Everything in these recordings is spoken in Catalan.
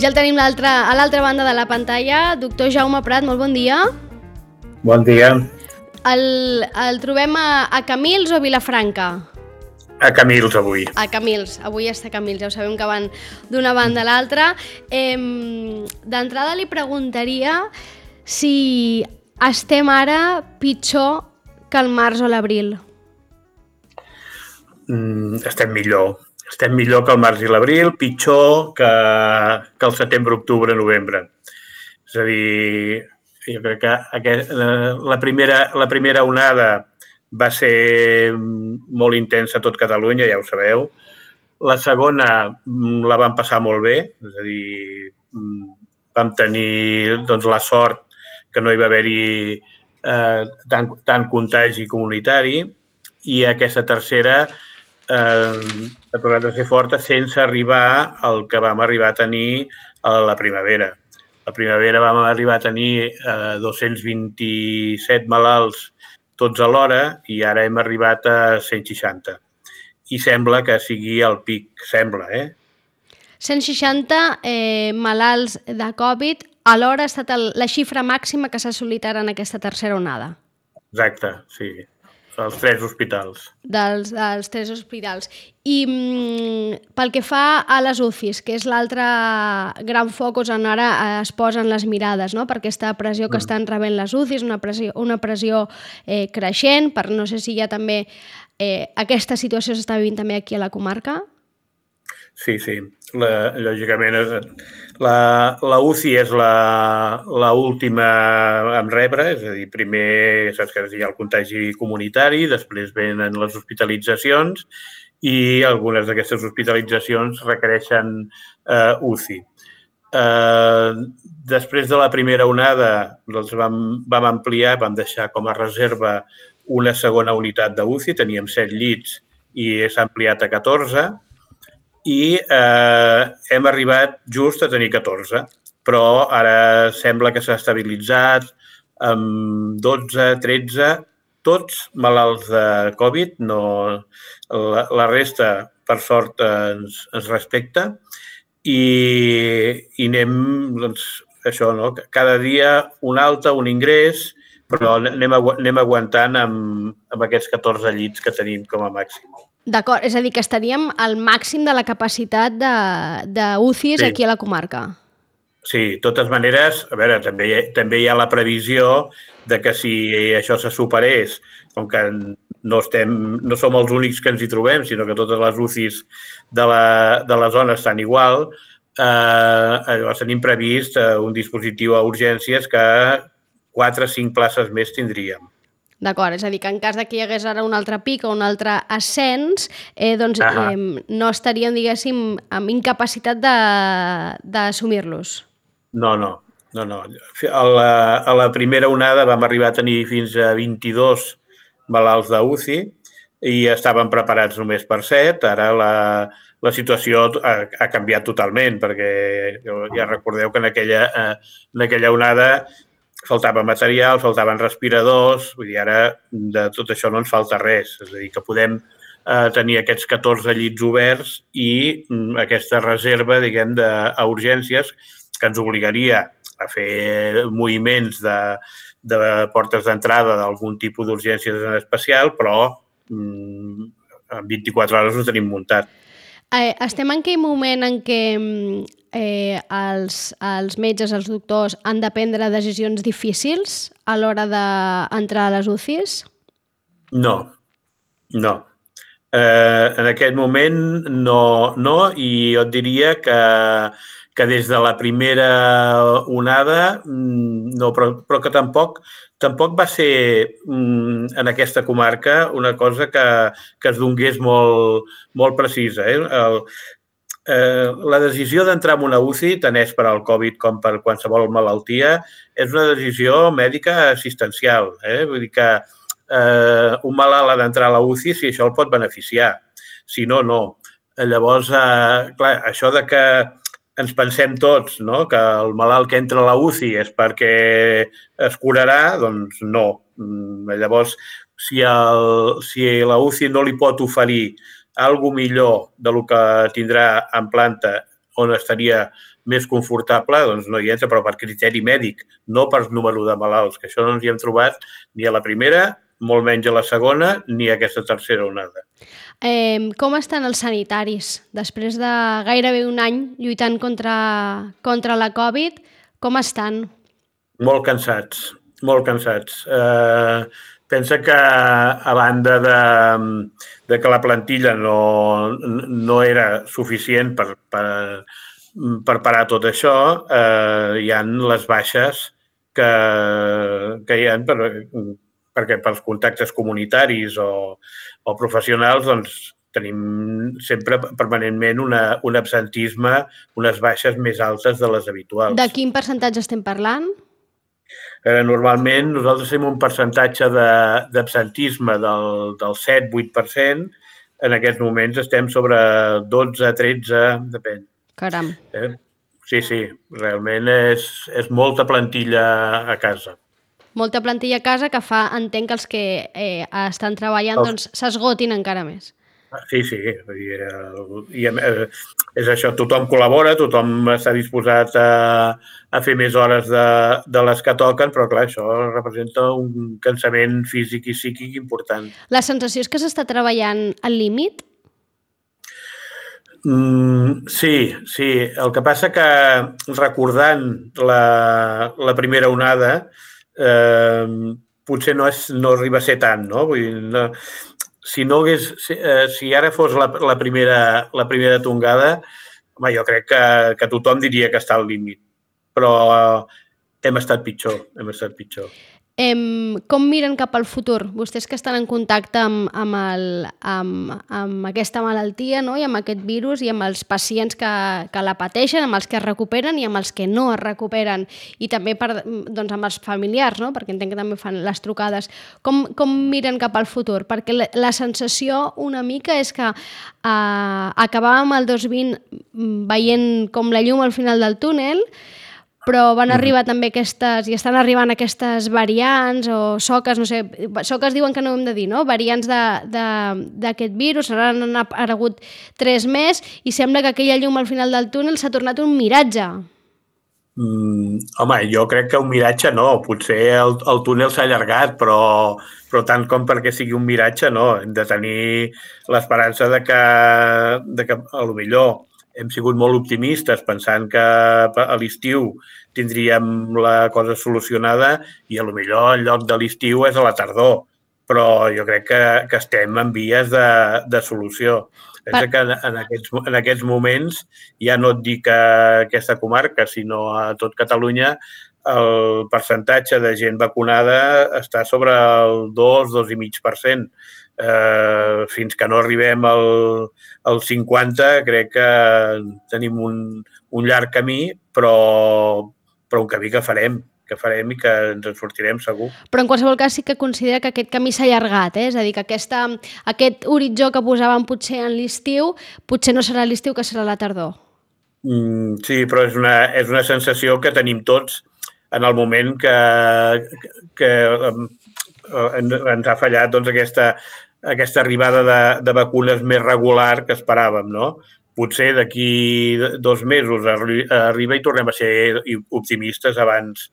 ja el tenim a l'altra banda de la pantalla. Doctor Jaume Prat, molt bon dia. Bon dia. El trobem a Camils o Vilafranca? A Camils, avui. A Camils, avui està a Camils, ja ho sabem que van d'una banda a l'altra. D'entrada li preguntaria si estem ara pitjor que el març o l'abril. Estem millor. Estem millor que el març i l'abril, pitjor que el setembre, octubre, novembre. És a dir, jo crec que la primera onada va ser molt intensa a tot Catalunya, ja ho sabeu. La segona la vam passar molt bé, és a dir, vam tenir la sort que no hi va haver-hi tant contagi comunitari, i aquesta tercera ha tornat a ser forta sense arribar al que vam arribar a tenir a la primavera. A la primavera vam arribar a tenir 227 malalts tots alhora i ara hem arribat a 160. I sembla que sigui el pic, sembla, 160 malalts de Covid alhora ha estat la xifra màxima que s'ha assolit ara en aquesta tercera onada. Exacte, sí. Dels 3 hospitals. Dels 3 hospitals. I pel que fa a les UCIs, que és l'altre gran focus on ara es posen les mirades, no? Per aquesta pressió que estan rebent les UCIs, una pressió creixent, per no sé si ja també aquesta situació s'està vivint també aquí a la comarca. Sí. Lògicament, la UCI és l'última a rebre, és a dir, primer saps que hi ha el contagi comunitari, després venen les hospitalitzacions i algunes d'aquestes hospitalitzacions requereixen UCI. Després de la primera onada vam ampliar, vam deixar com a reserva una segona unitat d'UCI, teníem 7 llits i s'ha ampliat a 14, i hem arribat just a tenir 14, però ara sembla que s'ha estabilitzat amb 12, 13, tots malalts de Covid, la resta, per sort, ens respecta, i anem, això, no? Cada dia un alta, un ingrés, però anem aguantant amb aquests 14 llits que tenim com a màxim. D'acord, és a dir, que estaríem al màxim de la capacitat d'UCIs aquí a la comarca. Sí, de totes maneres, a veure, també hi ha la previsió de que si això se superés, com que no som els únics que ens hi trobem, sinó que totes les UCIs de la zona estan igual, llavors tenim previst un dispositiu a urgències que 4 o 5 places més tindríem. D'acord, és a dir, que en cas que hi hagués ara un altre pic o un altre ascens, no estaríem, diguéssim, amb incapacitat d'assumir-los. No. A la primera onada vam arribar a tenir fins a 22 malalts d'UCI i estàvem preparats només per 7. Ara la situació ha canviat totalment, perquè ja recordeu que en aquella onada faltava material, faltaven respiradors, vull dir, ara de tot això no ens falta res. És a dir, que podem tenir aquests 14 llits oberts i aquesta reserva, diguem, a urgències que ens obligaria a fer moviments de portes d'entrada d'algun tipus d'urgències en especial, però en 24 hores ho tenim muntat. Estem en aquell moment en què els metges, els doctors, han de prendre decisions difícils a l'hora d'entrar a les UCIs? No. En aquest moment no, i jo et diria que des de la primera onada no, però que tampoc va ser en aquesta comarca una cosa que es donés molt precisa. La decisió d'entrar en una UCI, tant és per al Covid com per qualsevol malaltia, és una decisió mèdica assistencial. Vull dir que un malalt ha d'entrar a la UCI si això el pot beneficiar. Si no, no. Llavors, clar, això de que ens pensem tots, no?, que el malalt que entra a la UCI és perquè es curarà, doncs no. Llavors, si la UCI no li pot oferir alguna millor del que tindrà en planta on estaria més confortable, doncs no hi entra, però per criteri mèdic, no per número de malalts, que això no ens hi hem trobat ni a la primera, molt menys a la segona, ni a aquesta tercera onada. Com estan els sanitaris? Després de gairebé un any lluitant contra la Covid, com estan? Molt cansats, molt cansats. Pensa que a banda de que la plantilla no era suficient per parar tot això, hi ha les baixes que hi ha perquè pels contactes comunitaris o professionals doncs, tenim sempre permanentment un absentisme, unes baixes més altes de les habituals. De quin percentatge estem parlant? Normalment nosaltres tenim un percentatge d'absentisme del 7-8%. En aquests moments estem sobre 12-13, depèn. Caram. Sí, realment és molta plantilla a casa. Molta plantilla a casa que entenc que els que estan treballant doncs s'esgotin encara més. Sí. I és això, tothom col·labora, tothom està disposat a fer més hores de les que toquen, però clar, això representa un cansament físic i psíquic important. La sensació és que s'està treballant al límit? Sí. El que passa que recordant la primera onada, potser no arriba a ser tant, no? Vull dir, si ara fos la primera tongada, home, jo crec que tothom diria que està al límit, però hem estat pitjor. Com miren cap al futur? Vostès que estan en contacte amb aquesta malaltia, no? I amb aquest virus i amb els pacients que la pateixen, amb els que es recuperen i amb els que no es recuperen, i també doncs, amb els familiars, no? Perquè entenc que també fan les trucades. Com miren cap al futur? Perquè la sensació una mica és que acabàvem el 2020 veient com la llum al final del túnel, però van arribar també i estan arribant aquestes variants o soques, no sé, soques diuen que no ho hem de dir, no? Variants d'aquest virus, n'han aparegut 3 més i sembla que aquella llum al final del túnel s'ha tornat un miratge. Home, jo crec que un miratge no, potser el túnel s'ha allargat, però tant com perquè sigui un miratge no, hem de tenir l'esperança de que a lo millor hem sigut molt optimistes pensant que a l'estiu tindríem la cosa solucionada i a lo millor en lloc de l'estiu és a la tardor, però jo crec que estem en vies de solució. Pensa que en aquests moments, ja no et dic a aquesta comarca, sinó a tot Catalunya, el percentatge de gent vacunada està sobre el 2-2,5%. Fins que no arribem al 50, crec que tenim un llarg camí, però un camí que farem i que ens en sortirem segur. Però en qualsevol cas sí que considera que aquest camí s'ha allargat, és a dir, que aquest horitzó que posàvem potser en l'estiu, potser no serà l'estiu, que serà la tardor. Sí, però és una sensació que tenim tots en el moment que ens ha fallat doncs, aquesta arribada de vacunes més regular que esperàvem, no? Potser d'aquí 2 mesos arriba i tornem a ser optimistes abans,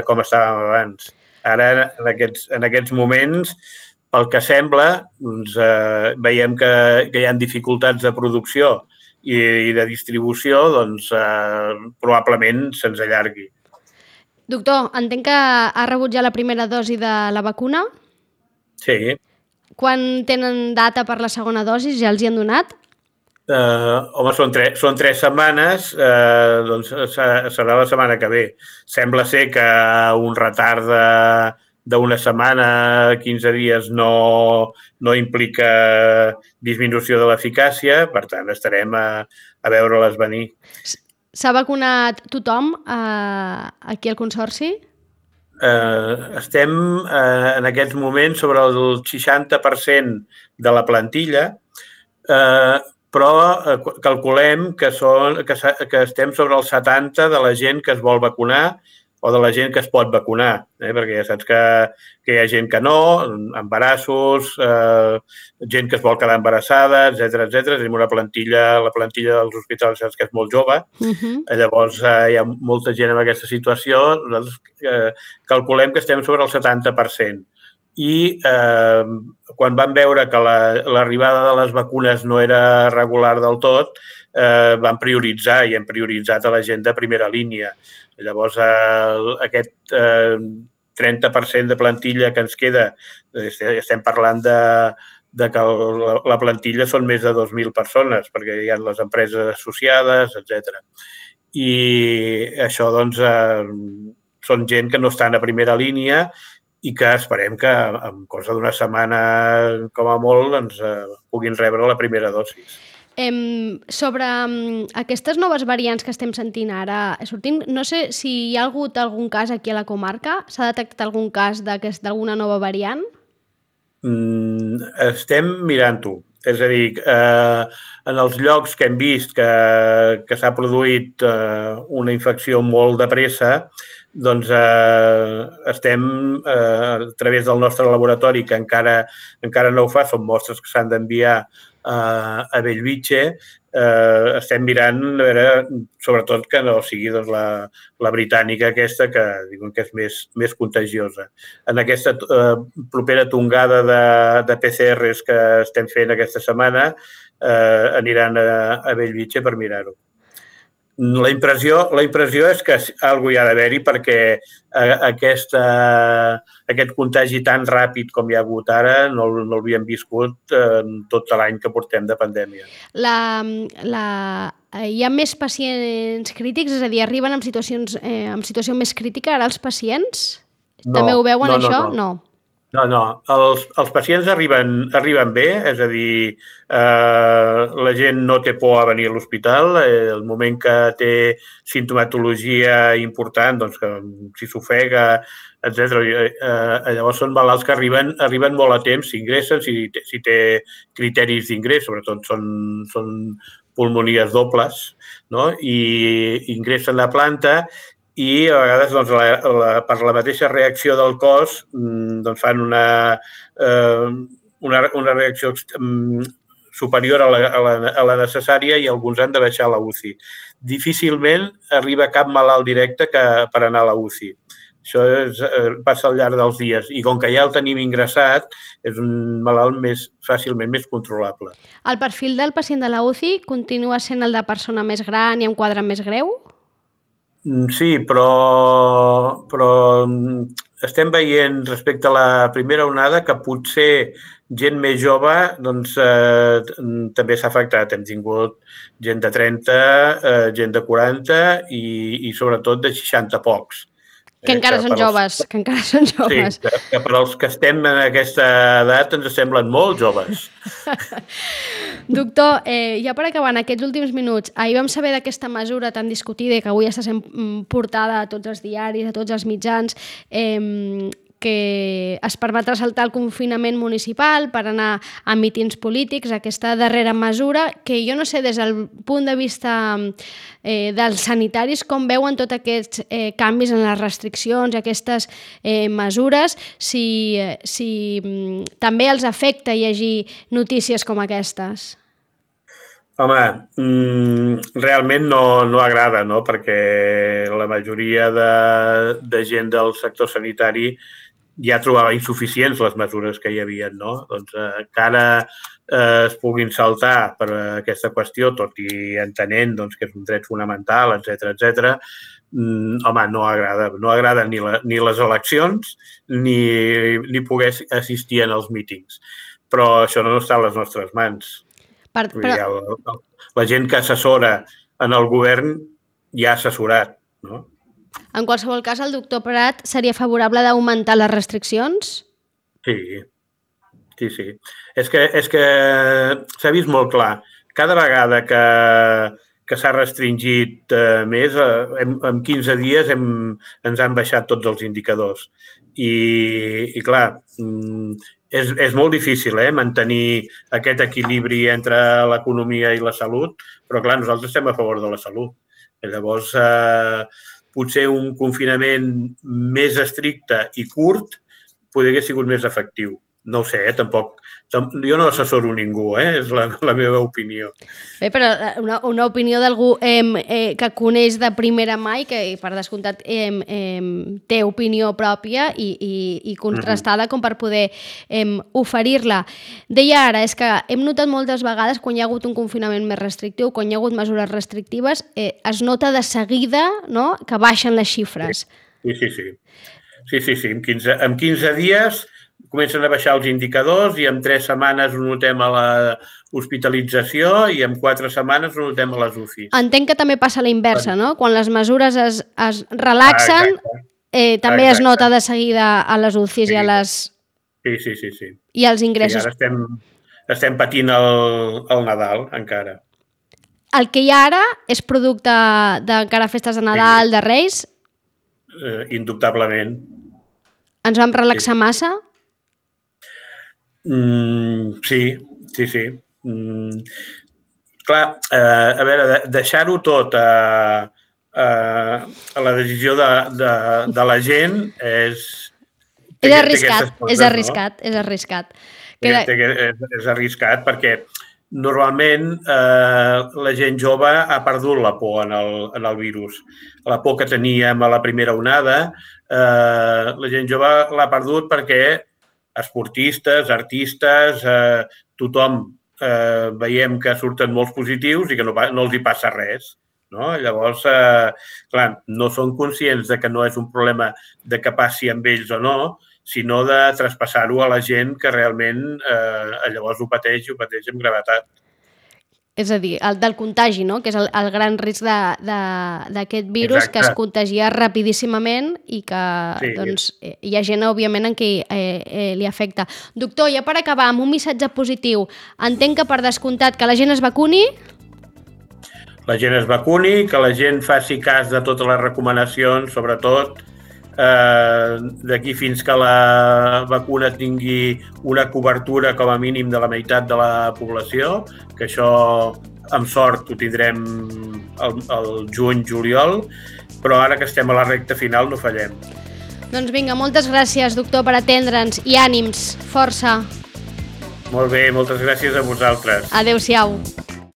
com estàvem abans. Ara, en aquests moments, pel que sembla, doncs, veiem que hi ha dificultats de producció i de distribució, doncs probablement se'ns allargui. Doctor, entenc que ha rebut ja la primera dosi de la vacuna? Sí. Quan tenen data per la segona dosi? Ja els hi han donat? Home, són 3 setmanes, doncs serà la setmana que ve. Sembla ser que un retard d'una setmana, 15 dies, no implica disminució de l'eficàcia, per tant, estarem a veure-les venir. S'ha vacunat tothom aquí al Consorci? Estem en aquests moments sobre el 60% de la plantilla, però calculem que estem sobre el 70% de la gent que es vol vacunar o de la gent que es pot vacunar, perquè ja saps que hi ha gent que no, embarassos, gent que es vol quedar embarassada, etc. Tenim la plantilla dels hospitals que és molt jove, llavors hi ha molta gent en aquesta situació, nosaltres calculem que estem sobre el 70%. I quan vam veure que l'arribada de les vacunes no era regular del tot, vam prioritzar i hem prioritzat a la gent de primera línia. Llavors, aquest 30% de plantilla que ens queda, estem parlant de que la plantilla són més de 2.000 persones, perquè hi ha les empreses associades, etc. I això, doncs, són gent que no estan a primera línia i que esperem que en cosa d'una setmana, com a molt, doncs, puguin rebre la primera dosis. Sobre aquestes noves variants que estem sentint ara sortint, no sé si hi ha hagut algun cas aquí a la comarca. S'ha detectat algun cas d'alguna nova variant? Estem mirant-ho. És a dir, en els llocs que hem vist que s'ha produït una infecció molt de pressa, doncs estem, a través del nostre laboratori, que encara no ho fa, són mostres que s'han d'enviar a Bellvitge, estem mirant, a veure, sobretot que no sigui doncs, la britànica aquesta, que diuen que és més contagiosa. En aquesta propera tongada de PCRs que estem fent aquesta setmana, aniran a Bellvitge per mirar-ho. La impressió és que alguna hi ha d'haver-hi perquè aquest contagi tan ràpid com hi ha hagut ara no l'havíem viscut tot l'any que portem de pandèmia. Hi ha més pacients crítics? És a dir, arriben en situació més crítica ara els pacients? No, també ho veuen, això? No. Els pacients arriben bé, és a dir, la gent no té por a venir a l'hospital. El moment que té simptomatologia important, doncs que si s'ofega, etc. Llavors són malalts que arriben molt a temps, s'ingressen, si té criteris d'ingrés, sobretot són pulmonies dobles, no? I ingressen a planta i a vegades doncs, per la mateixa reacció del cos doncs, fan una reacció superior a la necessària i alguns han de baixar a la UCI. Difícilment arriba cap malalt directe per anar a la UCI. Això passa al llarg dels dies i com que ja el tenim ingressat és un malalt fàcilment més controlable. El perfil del pacient de la UCI continua sent el de persona més gran i amb quadre més greu? Sí, però estem veient respecte a la primera onada que potser gent més jove doncs, també s'ha afectat. Hem tingut gent de 30, gent de 40 i sobretot de 60 pocs. Que encara són joves. Sí, que per als que estem en aquesta edat ens semblen molt joves. Doctor, ja per acabar, en aquests últims minuts, ahir vam saber d'aquesta mesura tan discutida i que avui està sent portada a tots els diaris, a tots els mitjans, que es permetrà saltar el confinament municipal per anar a mítings polítics, aquesta darrera mesura, que jo no sé, des del punt de vista dels sanitaris, com veuen tots aquests canvis en les restriccions, aquestes mesures, si també els afecta llegir notícies com aquestes. Home, realment no agrada, no? Perquè la majoria de gent del sector sanitari ja trobava insuficients les mesures que hi havia, no? Doncs que ara es puguin saltar per aquesta qüestió, tot i entenent doncs, que és un dret fonamental, etc. Home, no agrada. No agrada ni les eleccions ni poder assistir en els mítings. Però això no està a les nostres mans. La gent que assessora en el govern ja ha assessorat, no? En qualsevol cas, el doctor Prat seria favorable d'augmentar les restriccions? Sí. És que s'ha vist molt clar. Cada vegada que s'ha restringit més, en 15 dies ens han baixat tots els indicadors. I clar, és molt difícil mantenir aquest equilibri entre l'economia i la salut, però clar, nosaltres estem a favor de la salut. Llavors, potser un confinament més estricte i curt podria haver sigut més efectiu. No ho sé, tampoc. Jo no assessoro ningú, és la meva opinió. Bé, però una opinió d'algú que coneix de primera mà i que, per descomptat, té opinió pròpia i contrastada com per poder oferir-la. Deia ara, és que hem notat moltes vegades quan hi ha hagut un confinament més restrictiu, quan hi ha hagut mesures restrictives, es nota de seguida, no?, que baixen les xifres. Sí. En 15 dies comencen a baixar els indicadors i en 3 setmanes ho notem a l'hospitalització i en 4 setmanes ho notem a les UCIs. Entenc que també passa a la inversa, no? Quan les mesures es relaxen, també es nota de seguida a les UCIs i a les... Sí. I als ingressos. Ara estem patint el Nadal, encara. El que hi ha ara és producte d'encara festes de Nadal, de Reis? Indubtablement. Ens vam relaxar massa? Sí. Clar, a veure, deixar-ho tot a la decisió de la gent és... És arriscat. És arriscat perquè normalment la gent jove ha perdut la por en el virus. La por que teníem a la primera onada, la gent jove l'ha perdut perquè esportistes, artistes, tothom veiem que surten molts positius i que no els hi passa res. No? Llavors, clar, no són conscients de que no és un problema de que passi amb ells o no, sinó de traspassar-ho a la gent que realment llavors ho pateix amb gravetat. És a dir, el del contagi, no? Que és el gran risc d'aquest virus. Exacte. Que es contagia rapidíssimament i que hi ha gent, òbviament, en qui li afecta. Doctor, ja per acabar, amb un missatge positiu, entenc que per descomptat que la gent es vacuni? La gent es vacuni, que la gent faci cas de totes les recomanacions, sobretot d'aquí fins que la vacuna tingui una cobertura com a mínim de la meitat de la població, que això amb sort ho tindrem el juny-juliol, però ara que estem a la recta final no fallem. Doncs vinga, moltes gràcies, doctor, per atendre'ns i ànims, força. Molt bé, moltes gràcies a vosaltres. Adéu-siau.